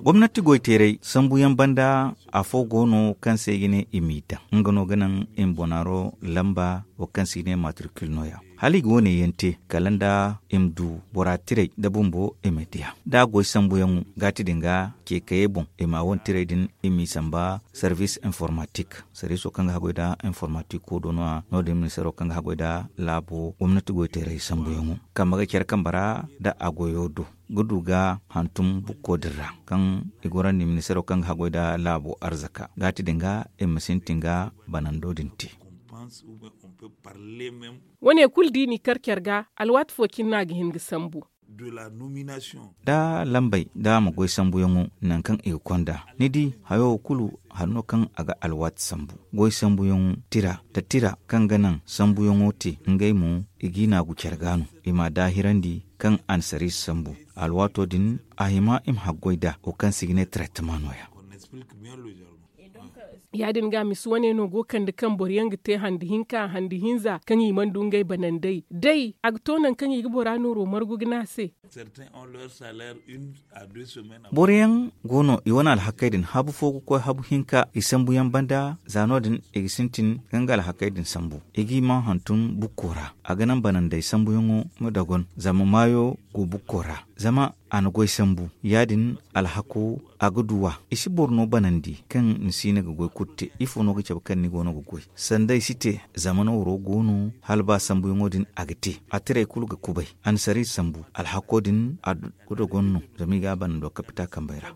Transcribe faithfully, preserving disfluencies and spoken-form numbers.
Gomnati goyteeray sambuyaŋ banda, afo go no kaŋ se i ga ne i m'i daŋ, nga no ga naŋ i ma bonaaro lamba wo kaŋ se i ga ne matricule no- ya. Hala i ga wo- ne yaŋ te kala nda i ma du bora tiray nda bumbo i ma diya da a goy sambuyaŋo ga ti din ga, ceekayey boŋ i ma a wane tiray din i m'i samba service informatik. Service wo kaŋ ga haggoy nda informatik wo do no- ya no- din ministeero kaŋ ga haggoy nda laabo gomnati goyteeray sambuyaŋo kambe ga care kambe ra nda a goyo do ga du ga hantum bukko din ra kaŋ i gorandi ministeero kaŋ ga haggoy nda laabo arzaka ga ti din ga i ma sintin ga banando din te. Wane kulu da i n'i kar care ga alwaati fo cine no a ga hin ga sambu. Da lambey da a ma goy sambuyaŋo nangu kaŋ i ga konda ni di hayo wo kulu hari no kaŋ a ga alwaati sambu. Goy sambuyaŋo tira nda tira kaŋ ga naŋ sambuyaŋo te ngey mo i g'i naagu care ga no i m'a daahirandi kaŋ a na sariisa sambu. Alwaato din a hima i ma haggoy nd'a wo kaŋ se i ga ne traitema no- ya. Ya- din ga misa wane no go kande kaŋ boro yaŋ ga te handi hinka handi hinza kaŋ i mana du ngey banandey day a ga to nangu kaŋ i ga bora nooro margu ga ne a se. Boro yaŋ go no i wane alhakey din habu fo ga koy habu hinka i sambu yaŋ banda za no- din i ga sintin ga nga alhakey din sambu i g'i ma hantum bukko ra. A ga naŋ banandey sambuyaŋo ma dogon zama maayo go bukko ra zama a na goy sambu ya- din alhako a ga du a i si boro no banandi kaŋ ni si ne ga goy kulu te ifo no ga cabe kaŋ ni go no ga goy sanda i si te. Zama nooro go no hala ba sambuyaŋo din a ga te a tiray kulu ga kubay a na sariisa sambu alhako din a ga dogon no zama i ga a banando kapita kambey ra.